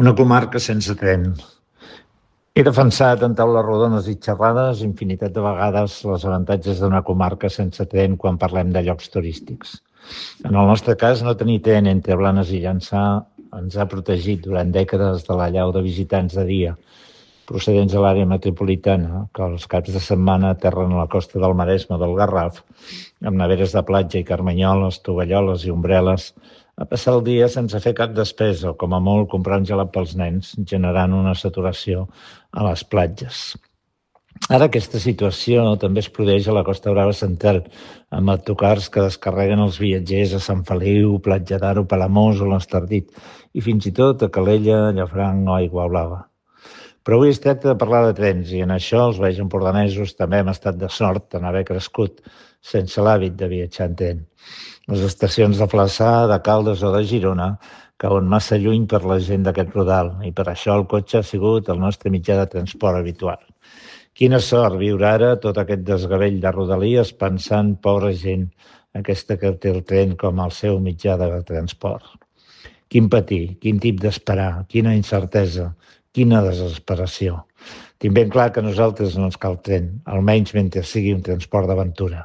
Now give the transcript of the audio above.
Una comarca sense tren. He defensat en taules rodones i xerrades infinitat de vegades els avantatges d'una comarca sense tren quan parlem de llocs turístics. En el nostre cas, no tenir tren entre Blanes i Llançà ens ha protegit durant dècades de l'allau de visitants de dia procedents de l'àrea metropolitana, que els caps de setmana aterren a la costa del Maresme o del Garraf, amb neveres de platja i carmanyoles, tovalloles i ombreles, a passar el dia sense fer cap despesa o, com a molt, comprar un gelat pels nens, generant una saturació a les platges. Ara aquesta situació també es produeix a la Costa Brava central, amb autocars que descarreguen els viatgers a Sant Feliu, Platja d'Aro, Palamós o l'Estardit, i fins i tot a Calella, Llafranc o Aiguablava. Però avui es tracta de parlar de trens i en això els vells empordanesos també hem estat de sort en haver crescut sense l'hàbit de viatjar en tren. Les estacions de Flaçà, de Caldes o de Girona cauen massa lluny per la gent d'aquest rodal i per això el cotxe ha sigut el nostre mitjà de transport habitual. Quina sort viure ara tot aquest desgavell de rodalies pensant, pobra gent, aquesta que té el tren com el seu mitjà de transport. Quin patir, quin tip d'esperar, quina incertesa, quina desesperació. Tinc ben clar que a nosaltres no ens cal tren, almenys mentre sigui un transport d'aventura.